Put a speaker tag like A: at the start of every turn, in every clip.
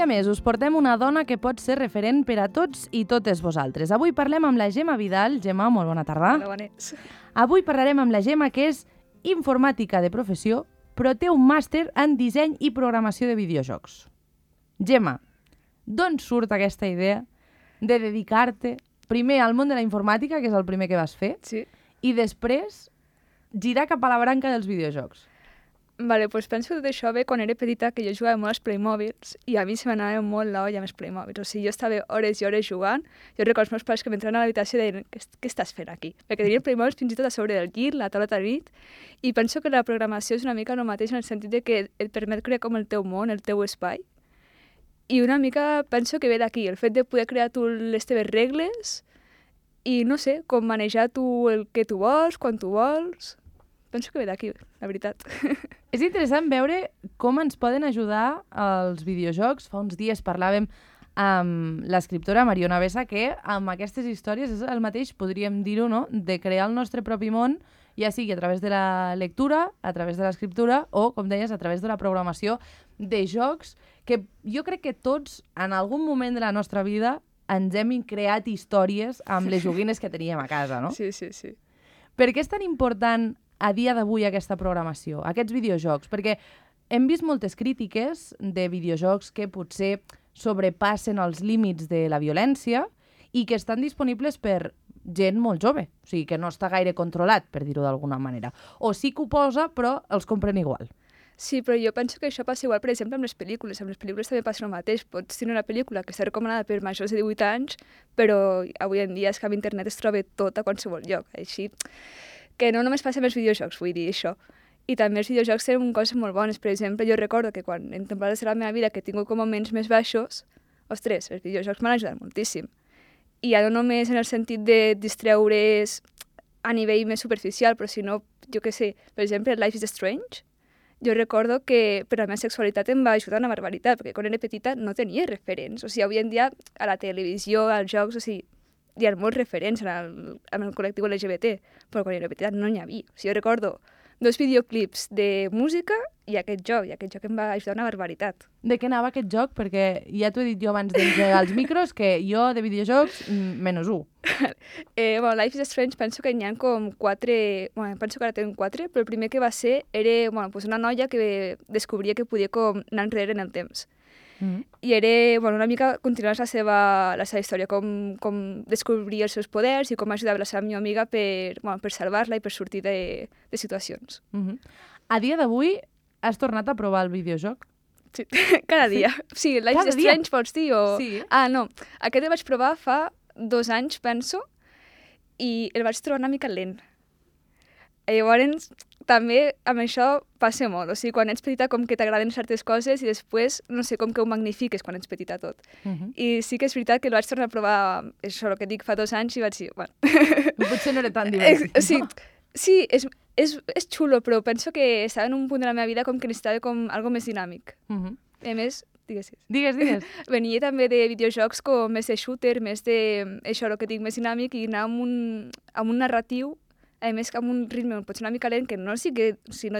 A: dia més us portem una dona que pot ser referent per a tots i totes vosaltres. Avui parlem amb la Gemma Vidal. Gemma, molt bona tarda.
B: Hola, bones.
A: Avui parlarem amb la Gemma, que és informàtica de professió, però té un màster en disseny i programació de videojocs. Gemma, d'on surt aquesta idea de dedicar-te primer al món de la informàtica, que és el primer que vas fer,
B: Sí.
A: i després girar cap a la branca dels videojocs?
B: Vale, doncs penso que tot això ve quan era petita, que jo jugava molt als Playmobils i a mi se m'anava molt l'olla amb els Playmobils. O sigui, jo estava hores i hores jugant. Jo recordo els meus pares que m'entraven a l'habitació i deien què estàs fent aquí? Perquè tenien Playmobils fins i tot a sobre del llit, la taula de nit. I penso que la programació és una mica el mateix en el sentit de que et permet crear com el teu món, el teu espai. I una mica penso que ve d'aquí, el fet de poder crear tu les teves regles i, no sé, com manejar tu el que tu vols, quan tu vols. Penso que ve d'aquí, la veritat.
A: És interessant veure com ens poden ajudar els videojocs. Fa uns dies parlàvem amb l'escriptora Mariona Bessa, que amb aquestes històries és el mateix, podríem dir-ho, no?, de crear el nostre propi món, ja sigui a través de la lectura, a través de l'escriptura o, com deies, a través de la programació de jocs, que jo crec que tots, en algun moment de la nostra vida, ens hem creat històries amb les joguines que teníem a casa, no?
B: Sí, sí, sí.
A: Per què és tan important a dia d'avui aquesta programació, aquests videojocs? Perquè hem vist moltes crítiques de videojocs que potser sobrepassen els límits de la violència i que estan disponibles per gent molt jove, o sigui, que no està gaire controlat, per dir-ho d'alguna manera. O sí que ho posa, però els compren igual.
B: Sí, però jo penso que això passa igual, per exemple, amb les pel·lícules. Amb les pel·lícules també passa el mateix. Pots tenir una pel·lícula que està recomanada per majors de 18 anys, però avui en dia és que a internet es troba tot a qualsevol lloc. Així que no només passa amb els videojocs, vull dir això. I també els videojocs tenen coses molt bones. Per exemple, jo recordo que quan en temporades de la meva vida que he tingut com moments més baixos, ostres, els videojocs m'han ajudat moltíssim. I ja no només en el sentit de distreure's a nivell més superficial, però sinó, jo què sé, per exemple, Life is Strange, jo recordo que per la meva sexualitat em va ajudar una barbaritat, perquè quan era petita no tenia referents. O sigui, avui en dia a la televisió, als jocs, o sigui, hi ha molts referents en el col·lectiu LGBT, però quan era petita no n'hi havia. O sigui, jo recordo 2 videoclips de música i aquest joc em va ajudar una barbaritat.
A: De què anava aquest joc? Perquè ja t'ho he dit jo abans d'entregar els micros, que jo de videojocs, -1.
B: Bueno, Life is Strange penso que n'hi ha com 4... Bueno, penso que ara tenen 4, però el primer que va ser era pues una noia que descobria que podia com anar enrere en el temps. I era una mica continuar la seva història, com descobria els seus poders i com ajudava la seva millor amiga per salvar-la i per sortir de situacions.
A: A dia d'avui has tornat a provar el videojoc?
B: Sí, cada dia. Sí, Life is Strange pots dir o...
A: Sí.
B: Ah, no, aquest el vaig provar fa 2 anys, penso, i el vaig trobar una mica lent. Llavors, també amb això passa molt. O sigui, quan ets petita com que t'agraden certes coses i després, no sé, com que ho magnifiques quan ets petita tot. I sí que és veritat que el vaig tornar a provar, això, el que dic, fa 2 anys i vaig dir, bueno...
A: Potser no era tan divertit.
B: Sí, és xulo, però penso que estava en un punt de la meva vida com que necessitava com algo més dinàmic. A més, digues.
A: Digues.
B: Venia també de videojocs com més de shooter, més de, això, el que dic, més dinàmic i anar amb un narratiu, a més que amb un ritme potser una mica lent, que no dic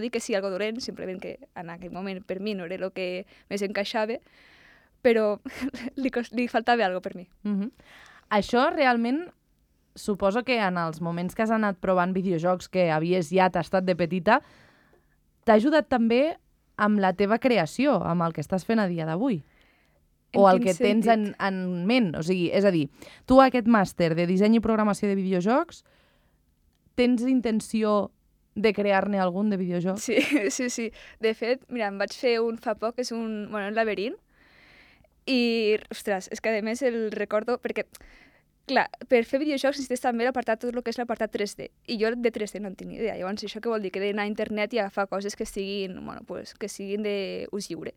B: que sigui algo dolent, simplement que en aquell moment per mi no era el que més encaixava, però li faltava alguna cosa per mi.
A: Això realment suposo que en els moments que has anat provant videojocs que havies ja tastat de petita, t'ha ajudat també amb la teva creació, amb el que estàs fent a dia d'avui? O el que tens en ment? O sigui, és a dir, tu aquest màster de disseny i programació de videojocs, tens intenció de crear-ne algun de videojoc?
B: Sí. De fet, mira, em vaig fer un fa poc, és un laberint, i, ostres, és que a més el recordo, perquè, clar, per fer videojocs necessites també tot el que és l'apartat 3D, i jo de 3D no en tinc ni idea, llavors això què vol dir? Que he d'anar a internet i agafar coses que siguin, que siguin d'ús lliure.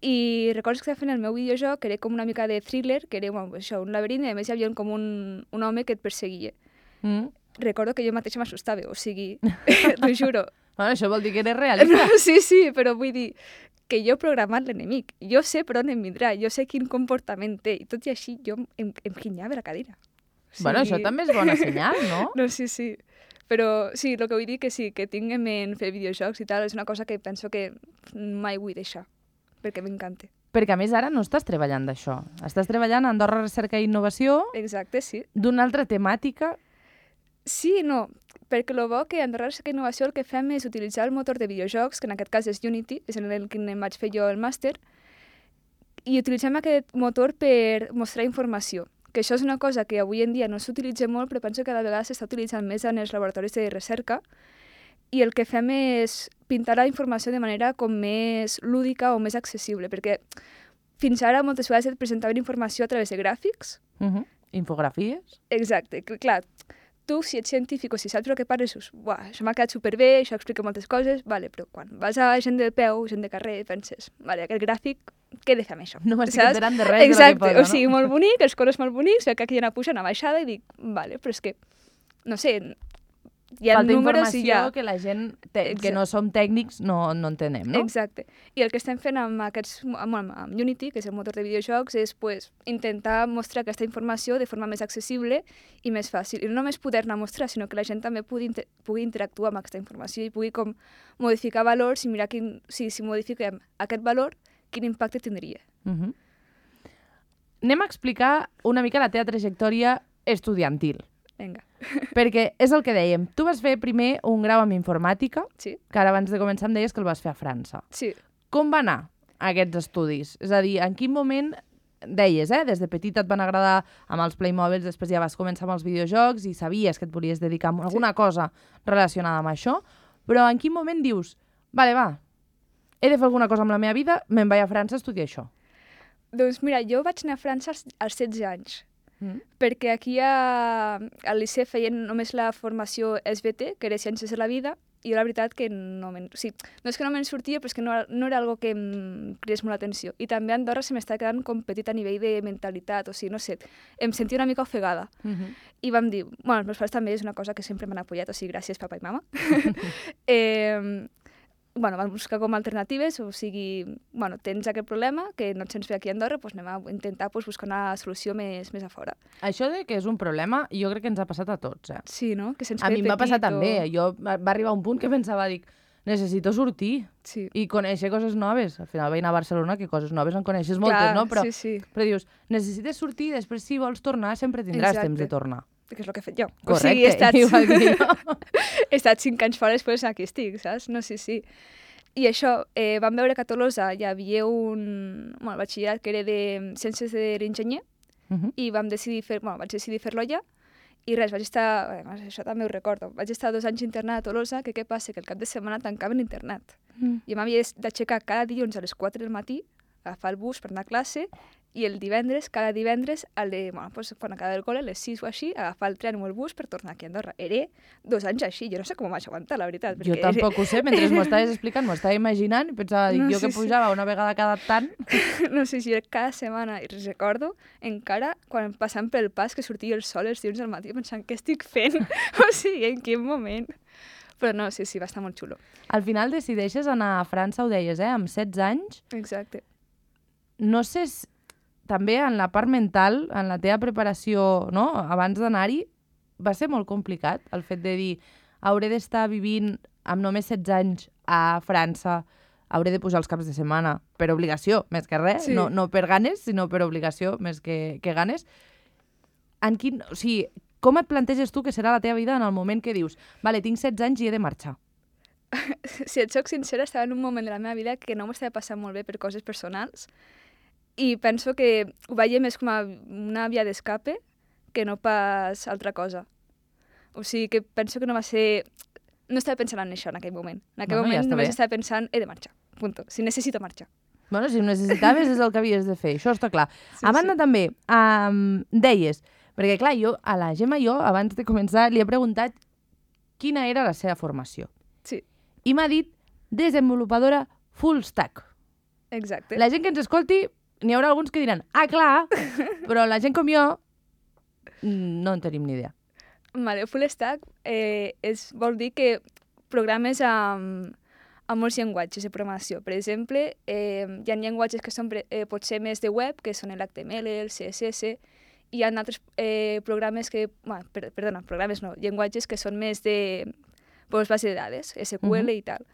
B: I recordo que estava fent el meu videojoc, que era com una mica de thriller, que era un laberint, i a més hi havia com un home que et perseguia. Recordo que jo mateixa m'assustava, o sigui, t'ho juro.
A: Això vol dir que eres realista.
B: Sí, però vull dir que jo he programat l'enemic, jo sé per on em vindrà, jo sé quin comportament té, i tot i així jo em guinyava la cadira.
A: Bueno, això també és bona senyal, no?
B: No, sí. Però sí, el que vull dir que sí, que tinc en ment fer videojocs i tal, és una cosa que penso que mai vull deixar, perquè m'encanta.
A: Perquè, a més, ara no estàs treballant d'això. Estàs treballant a Andorra Recerca i Innovació
B: Exacte, sí.
A: d'una altra temàtica.
B: Sí i no, perquè el bo que a Andorra Recerca i Innovació el que fem és utilitzar el motor de videojocs, que en aquest cas és Unity, és en el que em vaig fer jo el màster, i utilitzem aquest motor per mostrar informació. Que això és una cosa que avui en dia no s'utilitza molt, però penso que cada vegada s'està utilitzant més en els laboratoris de recerca, i el que fem és pintar la informació de manera com més lúdica o més accessible, perquè fins ara moltes vegades et presentaven informació a través de gràfics.
A: Infografies.
B: Exacte, clar, tu si ets científic o si saps el que parles, dius, buah, això m'ha quedat superbé, això explica moltes coses, vale, però quan vas a gent de peu, gent de carrer, penses, vale, aquest gràfic, què he de fer amb això?
A: No m'estic enterant de res
B: Exacte,
A: de lo que posa, no?
B: O sigui, molt bonic, els colors molt bonics, que aquí hi ha una puja, una baixada, i dic, vale, però és que, no sé, hi ha
A: falta
B: números
A: informació
B: i ja...
A: que la gent que no som tècnics no entenem, no?
B: Exacte. I el que estem fent amb Unity, que és el motor de videojocs, és pues, intentar mostrar aquesta informació de forma més accessible i més fàcil. I no només poder-la mostrar, sinó que la gent també pugui interactuar amb aquesta informació i pugui com modificar valors i mirar si modifiquem aquest valor, quin impacte tindria.
A: Anem a explicar una mica la teva trajectòria estudiantil.
B: Vinga.
A: Perquè és el que dèiem. Tu vas fer primer un grau en informàtica,
B: Sí.
A: que ara abans de començar em deies que el vas fer a França.
B: Sí.
A: Com va anar aquests estudis? És a dir, en quin moment deies, des de petita et van agradar amb els Playmobils, després ja vas començar amb els videojocs i sabies que et volies dedicar a alguna cosa relacionada amb això, però en quin moment dius, vale, va, he de fer alguna cosa amb la meva vida, me'n vaig a França a estudiar això?
B: Doncs mira, jo vaig anar a França als 16 anys. Perquè aquí al liceu feien només la formació SBT, que era Ciències de la Vida, i jo la veritat que no és que no me'n sortia, però és que no era algo que em cridés molt l'atenció. I també a Andorra se m'està quedant com petit a nivell de mentalitat, o sigui, no sé, em sentia una mica ofegada. I vam dir, bueno, els meus pares també és una cosa que sempre m'han apoyat, o sigui, gràcies papa i mama. Bueno, vam buscar com alternatives, o sigui, bueno, tens aquest problema que no et sents bé aquí a Andorra, doncs anem a intentar buscar una solució més a fora.
A: Això de que és un problema, jo crec que ens ha passat a tots,
B: Sí, no? Que sents
A: a mi em va passar
B: petit
A: també. Jo va arribar un punt que pensava, dic, necessito sortir i conèixer coses noves. Al final vaig anar a Barcelona, que coses noves en coneixes moltes, no? Però dius, necessites sortir i després si vols tornar sempre tindràs temps de tornar.
B: Que és el que he fet jo.
A: Correcte, igual que jo.
B: He estat 5 anys fora, després aquí estic, saps? No, sí. I això, vam veure que a Tolosa hi havia un batxillerat que era de Ciències de l'Enginyer i vaig decidir fer-lo allà i res, vaig estar, això també ho recordo, vaig estar 2 anys internat a Tolosa, que què passa? Que el cap de setmana tancaven l'internat. Jo m'havia d'aixecar cada dilluns a les 4 del matí, agafar el bus per anar a classe i cada divendres, quan acabava el col·le, a les 6 o així, agafar el tren o el bus per tornar aquí a Andorra. Era 2 anys així, jo no sé com ho vaig aguantar, la veritat.
A: Jo tampoc ho sé, mentre m'ho estaves explicant, m'ho estava imaginant i pensava, jo que pujava una vegada cada tant...
B: No sé si era cada setmana, i recordo encara quan passant pel pas que sortia el sol els dilluns al matí pensant què estic fent, o sigui, en quin moment... Però no, sí, va estar molt xulo.
A: Al final decideixes anar a França, ho deies, amb 16 anys.
B: Exacte.
A: No sé si també en la part mental, en la teva preparació, no? Abans d'anar-hi, va ser molt complicat el fet de dir hauré d'estar vivint amb només 16 anys a França, hauré de pujar els caps de setmana per obligació, més que res, no per ganes, sinó per obligació, més que ganes. O sigui, com et planteges tu que serà la teva vida en el moment que dius vale, tinc 16 anys i he de marxar?
B: Si et soc sincera, estava en un moment de la meva vida que no m'estava passant molt bé per coses personals i penso que ho veia més com a una via d'escape que no pas altra cosa. O sigui que penso que no va ser... No estava pensant en això en aquell moment. En aquell moment només estava pensant he de marxar, punto. Si necessito marxar.
A: Bueno, si ho necessitaves és el que havies de fer, això està clar. A banda també, deies, perquè clar, jo a la Gemma abans de començar li he preguntat quina era la seva formació.
B: Sí.
A: I m'ha dit desenvolupadora full stack.
B: Exacte.
A: La gent que ens escolti, n'hi haurà alguns que diran, clar, però la gent com jo no en tenim ni idea.
B: Vale, full stack vol dir que programes amb molts llenguatges de programació. Per exemple, hi ha llenguatges que són potser més de web, que són l'HTML, el CSS, i hi ha altres programes que... llenguatges que són més de base de dades, SQL i tal.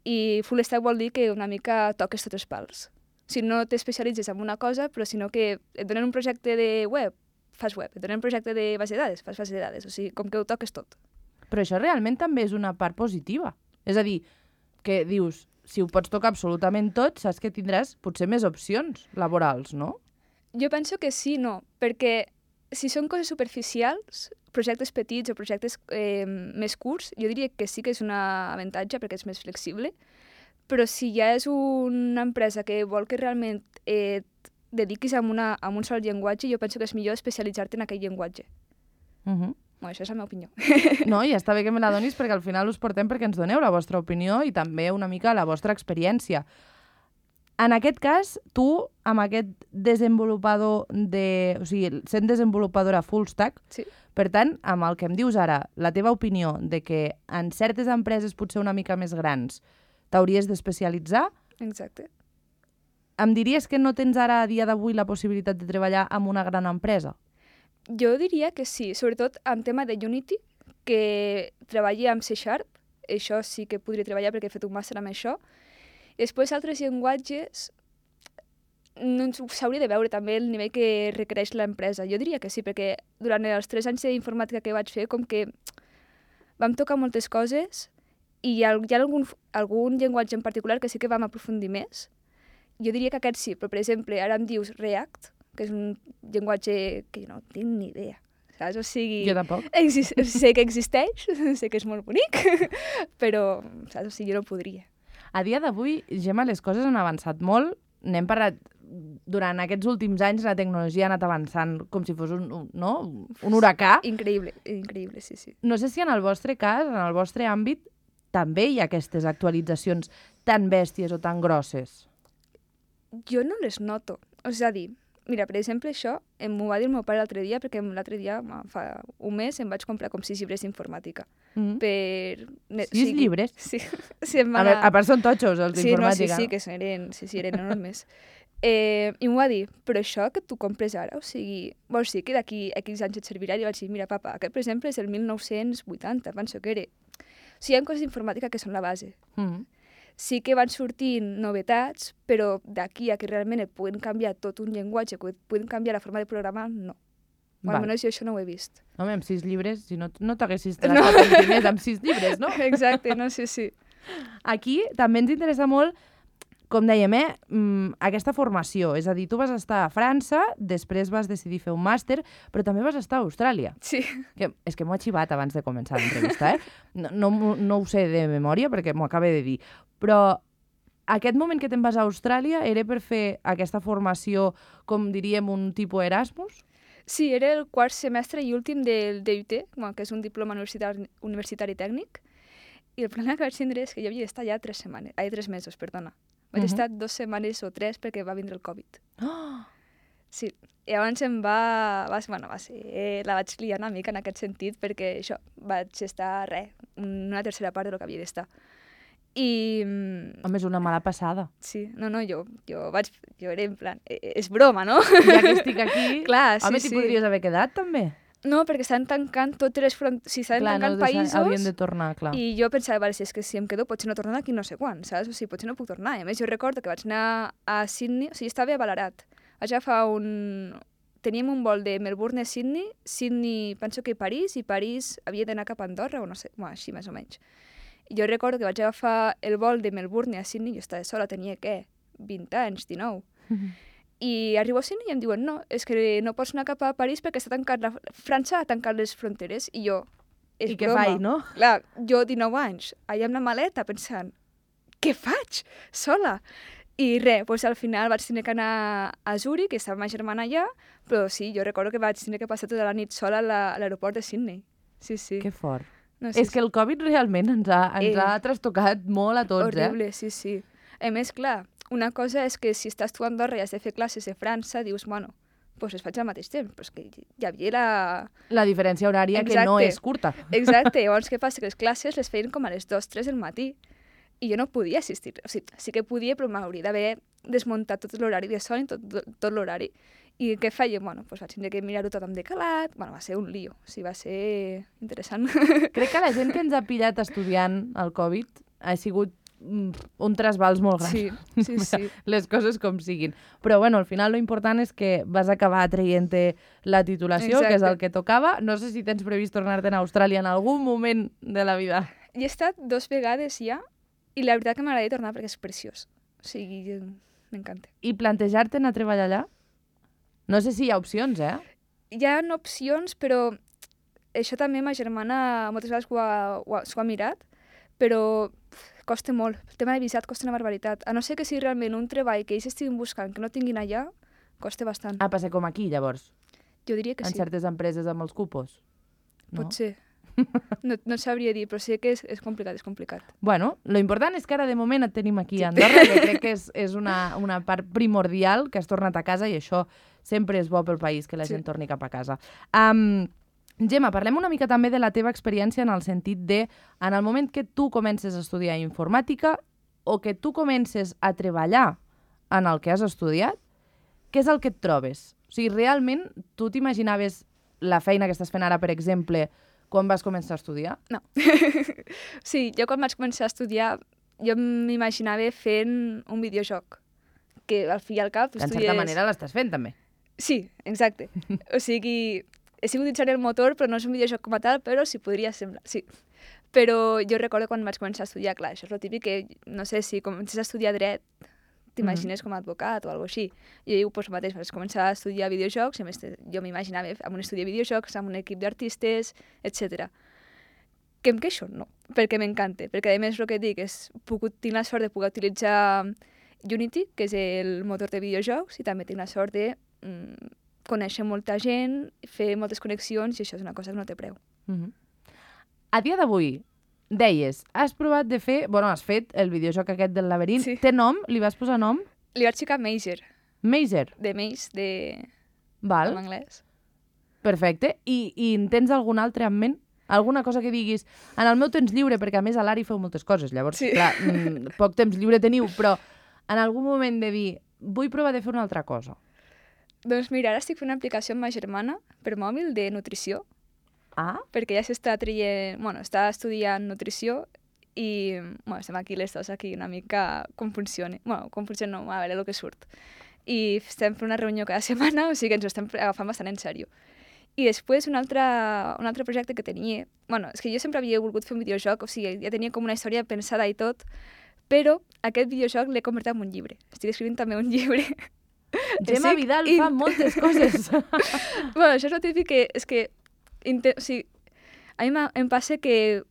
B: I full stack vol dir que una mica toques tots els pals. Si no t'especialitzes en una cosa, però sinó que et donen un projecte de web, fas web. Et donen un projecte de base de dades, fas base de dades. O sigui, com que ho toques tot.
A: Però això realment també és una part positiva. És a dir, que dius, si ho pots tocar absolutament tot, saps que tindràs potser més opcions laborals, no?
B: Jo penso que sí, no, perquè si són coses superficials, projectes petits o projectes més curts, jo diria que sí que és un avantatge perquè és més flexible, però si ja és una empresa que vol que realment et dediquis a un sol llenguatge, jo penso que és millor especialitzar-te en aquell llenguatge. Bueno, això és la meva opinió.
A: No, i està bé que me la donis perquè al final us portem perquè ens doneu la vostra opinió i també una mica la vostra experiència. En aquest cas, tu, amb aquest desenvolupador o sigui, sent desenvolupadora full stack,
B: Sí.
A: per tant, amb el que em dius ara, la teva opinió de que en certes empreses potser una mica més grans t'hauries d'especialitzar,
B: Exacte.
A: em diries que no tens ara a dia d'avui la possibilitat de treballar en una gran empresa?
B: Jo diria que sí, sobretot en tema de Unity, que treballi amb C#, això sí que podria treballar perquè he fet un màster amb això. I després altres llenguatges, no s'hauria de veure també el nivell que requereix l'empresa. Jo diria que sí, perquè durant els 3 anys d'informàtica que vaig fer, com que vam tocar moltes coses i hi ha algun llenguatge en particular que sí que vam aprofundir més. Jo diria que aquest sí, però per exemple, ara em dius React, que és un llenguatge que jo no tinc ni idea, saps? O sigui...
A: Jo tampoc.
B: Sé que existeix, sé que és molt bonic, però, saps? O sigui, jo no podria.
A: A dia d'avui, Gemma, les coses han avançat molt. N'hem parlat durant aquests últims anys, la tecnologia ha anat avançant com si fos un huracà.
B: Increïble, increïble, sí, sí.
A: No sé si en el vostre cas, en el vostre àmbit, també hi ha aquestes actualitzacions tan bèsties o tan grosses.
B: Jo no les noto. És a dir, mira, per exemple, això m'ho va dir el meu pare l'altre dia, perquè l'altre dia, fa un mes, em vaig comprar com 6 llibres d'informàtica.
A: Per... 6 llibres?
B: Sí. Sí,
A: a part són totxos, els d'informàtica.
B: Sí, que eren enormes. I m'ho va dir, però això que tu compres ara, o sigui, vols dir que d'aquí X anys et servirà? I vaig dir, mira, papa, aquest, per exemple, és el 1980, penso que era. O sigui, hi ha coses d'informàtica que són la base. Sí que van sortint novetats, però d'aquí a que realment et puguin canviar tot un llenguatge, que et puguin canviar la forma de programar, no. Almenys jo això no ho he vist.
A: Home, amb 6 llibres, si no t'haguessis tractat els diners amb 6 llibres, no?
B: Exacte, no, sí.
A: Aquí també ens interessa molt, com dèiem, aquesta formació. És a dir, tu vas estar a França, després vas decidir fer un màster, però també vas estar a Austràlia.
B: Sí.
A: És que m'ho he xivat abans de començar l'entrevista, No ho sé de memòria perquè m'ho acabo de dir. Però aquest moment que te'n vas a Austràlia era per fer aquesta formació, com diríem, un tipus Erasmus?
B: Sí, era el 4 semestre i últim del DUT, que és un diploma universitari tècnic, i el problema que vaig tindre és que jo havia d'estar ja 3 mesos, perdona. Vaig estar 2 setmanes o 3 perquè va vindre el Covid. Sí, i llavors la vaig liar una mica en aquest sentit perquè això, vaig estar una tercera part del que havia d'estar. I...
A: Home, és una mala passada.
B: Sí, jo era en plan, és broma, no?
A: Ja que estic aquí,
B: clar,
A: home, t'hi podries haver quedat, també.
B: No, perquè estan tancant totes les fronteres, estan tancant països...
A: Haurien de tornar, clar.
B: I jo pensava, si em quedo potser no torno d'aquí no sé quan, saps? O sigui, potser no puc tornar. I a més, jo recordo que vaig anar a Sydney, o sigui, estava a Ballarat. Vaig agafar teníem un vol de Melbourne a Sydney penso que París, i París havia d'anar cap a Andorra, o no sé, així més o menys. I jo recordo que vaig agafar el vol de Melbourne a Sydney, jo estava sola, tenia, 20 anys, 19. I arribo a Sydney i em diuen, no, és que no pots anar cap a París perquè França ha tancat les fronteres. I jo, és
A: I què
B: broma.
A: faig, no?
B: Clar, jo 19 anys, allà amb la maleta pensant, què faig? Sola? I res, al final vaig tenir que anar a Zurich, que estava ma germana allà, però sí, jo recordo que vaig tenir que passar tota la nit sola a l'aeroport de Sydney. Sí.
A: Que fort.
B: No,
A: és que el Covid realment ens ha trastocat molt a tots,
B: horrible, sí. A més, clar, una cosa és que si estàs tu a Andorra i has de fer classes a França, dius, bueno, doncs les faig al mateix temps, però és que hi havia
A: la diferència horària. Exacte. Que no és curta.
B: Exacte, llavors què passa? Que les classes les feien com a les 2-3 del matí i jo no podia assistir. O sigui, sí que podia, però m'hauria d'haver desmuntat tot l'horari de son i tot l'horari. I què feia? Bueno, doncs vaig tenir que mirar-ho tot amb decalat. Bueno, va ser un lío. O sigui, va ser interessant.
A: Crec que la gent que ens ha pillat estudiant el Covid ha sigut un trasbals molt gran.
B: Sí.
A: Les coses com siguin. Però, bueno, al final lo important és que vas acabar traient-te la titulació, que és el que tocava. No sé si tens previst tornar-te'n a Austràlia en algun moment de la vida.
B: Hi he estat 2 vegades ja, i la veritat que m'agradaria tornar perquè és preciós. O sigui, m'encanta.
A: I plantejar-te'n a treballar allà? No sé si hi ha opcions,
B: Hi ha opcions, però això també ma germana moltes vegades s'ho ha mirat, però costa molt. El tema de visat costa una barbaritat. A no ser que sigui realment un treball que ells estiguin buscant, que no tinguin allà, costa bastant.
A: Passa com aquí, llavors?
B: Jo diria que
A: en
B: sí.
A: En certes empreses amb els cupos?
B: No? Pot ser. No sabria dir, però sé que és complicat.
A: Bueno, lo important és que ara de moment et tenim aquí a Andorra, que crec que és una part primordial, que has tornat a casa i això sempre és bo pel país, que la gent torni cap a casa. Gemma, parlem una mica també de la teva experiència en el sentit de, en el moment que tu comences a estudiar informàtica o que tu comences a treballar en el que has estudiat, què és el que et trobes? O sigui, realment, tu t'imaginaves la feina que estàs fent ara, per exemple, quan vas començar a estudiar?
B: No. Sí, jo quan vaig començar a estudiar, jo m'imaginava fent un videojoc, que al fi i al cap
A: estudies... En certa manera l'estàs fent, també.
B: Sí, exacte. O sigui, he sigut utilitzant el motor, però no és un videojoc com a tal, però sí podria semblar, sí. Però jo recordo quan vaig començar a estudiar, clar, això és el típic que, no sé, si comences a estudiar dret, t'imagines com a advocat o alguna cosa així. I jo pues, mateix vaig començar a estudiar videojocs, i a més jo m'imaginava amb un estudi de videojocs, amb un equip d'artistes, etc. Que em queixo? No, perquè m'encanta, perquè a més el que dic és tinc la sort de poder utilitzar Unity, que és el motor de videojocs, i també tinc la sort de conèixer molta gent, fer moltes connexions, i això és una cosa que no té preu.
A: A dia d'avui, deies, has provat de fer... Bueno, has fet el videojoc aquest del laberint.
B: Sí.
A: Té nom? Li vas posar nom?
B: Li vaig ficar Mazer.
A: Mazer?
B: De Maze,
A: Val.
B: en anglès.
A: Perfecte. I en tens algun altre en ment? Alguna cosa que diguis, en el meu temps lliure, perquè a més a l'Ari feu moltes coses, llavors, clar, poc temps lliure teniu, però en algun moment de dir, vull provar de fer una altra cosa.
B: Doncs mira, ara estic fent una aplicació amb ma germana per mòbil de nutrició, perquè ja s'està traient, està estudiant nutrició i estem aquí les dues aquí una mica com funciona. Com funciona no, a veure el que surt. I estem fent una reunió cada setmana, o sigui que ens ho estem agafant bastant en sèrio. I després un altre projecte que tenia... és que jo sempre havia volgut fer un videojoc, o sigui, ja tenia com una història pensada i tot, però aquest videojoc l'he convertit en un llibre. Estic escrivint també un llibre.
A: Gemma Vidal fa moltes coses.
B: Això és el típic que... És que a mi em passa que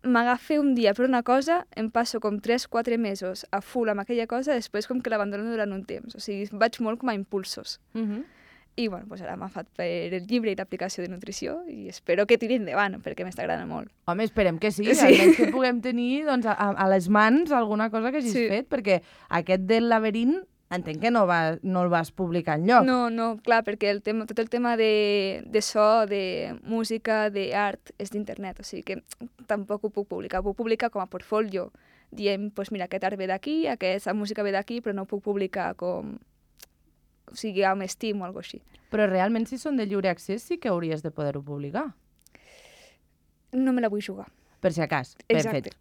B: m'agafa un dia per una cosa, em passo com 3-4 mesos a full amb aquella cosa, després com que l'abandono durant un temps. O sigui, vaig molt com a impulsos. I ara m'ha fet per el llibre i l'aplicació de nutrició i espero que tiri endavant, perquè m'està agradant molt.
A: Home, esperem que sí, almenys que puguem tenir a les mans alguna cosa que hagis fet, perquè aquest del laberint entenc que no el vas publicar enlloc.
B: No, clar, perquè tot el tema de so, de música, d'art, és d'internet, o sigui que tampoc ho puc publicar. Ho puc publicar com a portfolio, dient, doncs mira, aquest art ve d'aquí, aquesta música ve d'aquí, però no ho puc publicar com... O sigui, amb Steam o alguna cosa així.
A: Però realment, si són de lliure accés, sí que hauries de poder-ho publicar.
B: No me la vull jugar.
A: Per si acas.
B: Exacte.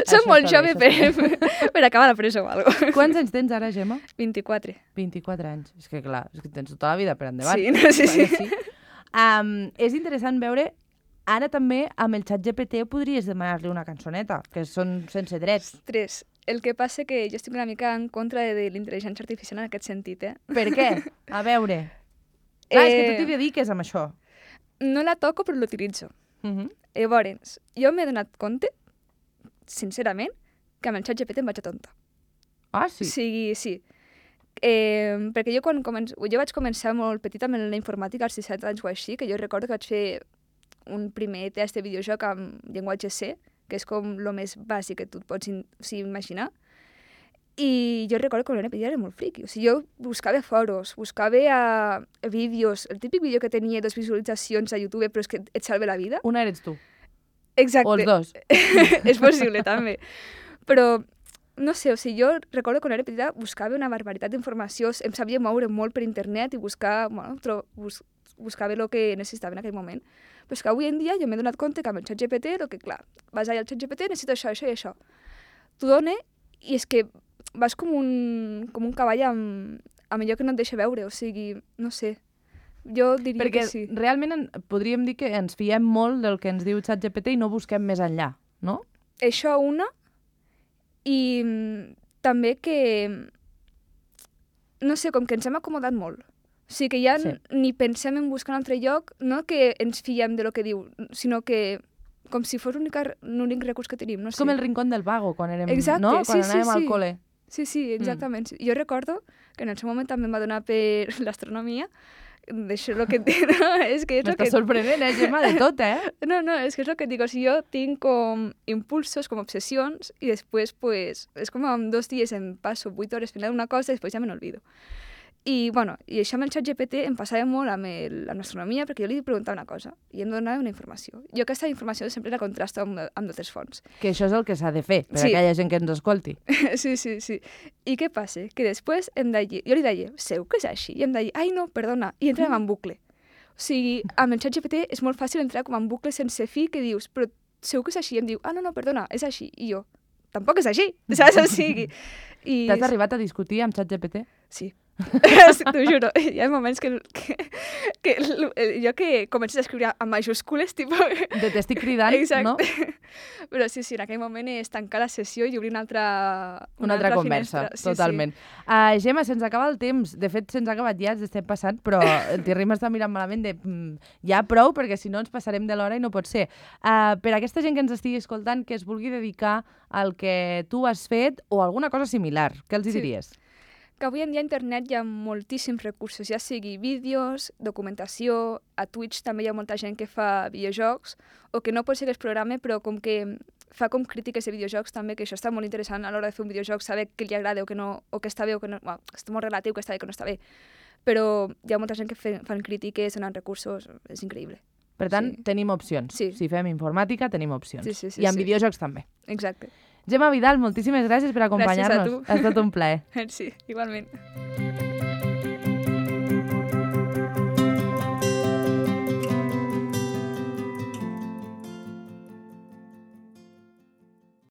B: Soc molt jove per acabar la presó o alguna cosa.
A: Quants anys tens ara, Gemma?
B: 24.
A: 24 anys. És que clar, és que tens tota la vida per endavant.
B: Sí.
A: És interessant veure, ara també amb el xat GPT podries demanar-li una cançoneta, que són sense drets.
B: Ostres, el que passa que jo estic una mica en contra de l'intel·ligència artificial en aquest sentit,
A: Per què? A veure. Clar, és que tu t'hi dediques amb això.
B: No la toco, però l'utilitzo. Llavors, jo m'he donat compte, sincerament, que amb el xat GPT em vaig a tonta.
A: Ah, sí?
B: Sí. Perquè jo vaig començar molt petita amb la informàtica, als 17 anys o així, que jo recordo que vaig fer un primer test de videojoc amb llenguatge C, que és com el més bàsic que tu et pots imaginar. I jo recordo que l'NPD era molt friqui. O sigui, jo buscava foros, buscava vídeos, el típic vídeo que tenia 2 visualitzacions a YouTube, però és que et salva la vida.
A: Una eres tu.
B: Exacte.
A: O els dos.
B: És possible, també. Però, no sé, o sigui, jo recordo que quan era petita buscava una barbaritat d'informació, em sabia moure molt per internet i buscava el que necessitava en aquell moment. Però és que avui en dia jo m'he donat compte que amb el ChatGPT, clar, vas allà al ChatGPT, necessito això i això. t'ho dona i és que vas com un cavall amb allò que no et deixa veure, o sigui, no sé. Jo diria
A: Perquè
B: que sí.
A: realment podríem dir que ens fiem molt del que ens diu ChatGPT i no busquem més enllà, no?
B: Això una, i també que, no sé, com que ens hem acomodat molt. O sigui que ja ni pensem en buscar un altre lloc, no que ens fiem de lo que diu, sinó que com si fos l'únic recurs que tenim, no sé.
A: És com el rincón del vago, quan érem,
B: Exacte,
A: no? Quan
B: sí,
A: anàvem al col·le.
B: Sí, exactament. Jo recordo que en el seu moment també em va donar per l'astronomia, d'això el que et dic, no? És que és el que...
A: M'està sorprenent, Gemma, de tot,
B: No, és que és el que et dic, o sigui, jo tinc com impulsos, com obsessions, i després, pues, és com en 2 dies em passo 8 hores fent una cosa i després ja me n'olvido. I, bueno, i això amb el ChatGPT em passava molt amb l'astronomia perquè jo li preguntava una cosa i em donava una informació. Jo aquesta informació sempre la contrasto amb d'altres fonts.
A: Que això és el que s'ha de fer, per aquella gent que ens escolti.
B: Sí. I què passa? Que després jo li deia, segur que és així? I em deia, ai no, perdona, i entràvem en bucle. O sigui, amb el ChatGPT és molt fàcil entrar com en bucle sense fi que dius, però segur que és així? I em diu, no, perdona, és així. I jo, tampoc és així, saps? O sigui...
A: T'has arribat a discutir amb ChatGPT?
B: Sí. T'ho juro, hi ha moments que jo que comences a escriure amb majúscules, tipus...
A: T'estic cridant, no?
B: Però sí, en aquell moment és tancar la sessió i obrir una altra
A: conversa,
B: finestra.
A: totalment. Gemma, se'ns acaba el temps. De fet, se'ns ha acabat ja, ens estem passant, però el Thierry m'està mirant malament de ja prou, perquè si no ens passarem de l'hora i no pot ser. Per a aquesta gent que ens estigui escoltant, que es vulgui dedicar al que tu has fet o alguna cosa similar, què els diries?
B: Que avui en dia a internet hi ha moltíssims recursos, ja sigui vídeos, documentació, a Twitch també hi ha molta gent que fa videojocs, o que no pot ser que es programa, però com que fa com crítiques de videojocs també, que això està molt interessant a l'hora de fer un videojoc, saber què li agrada o què no, o què està bé o què no... Bueno, està molt relatiu, que està bé, que no està bé. Però hi ha molta gent que fan crítiques, donen recursos, és increïble.
A: Per tant, tenim opcions.
B: Sí.
A: Si fem informàtica, tenim opcions.
B: Sí,
A: I en videojocs també.
B: Exacte.
A: Gemma Vidal, moltíssimes gràcies per acompanyar-nos.
B: Gràcies a tu.
A: Ha estat un plaer.
B: Sí, igualment.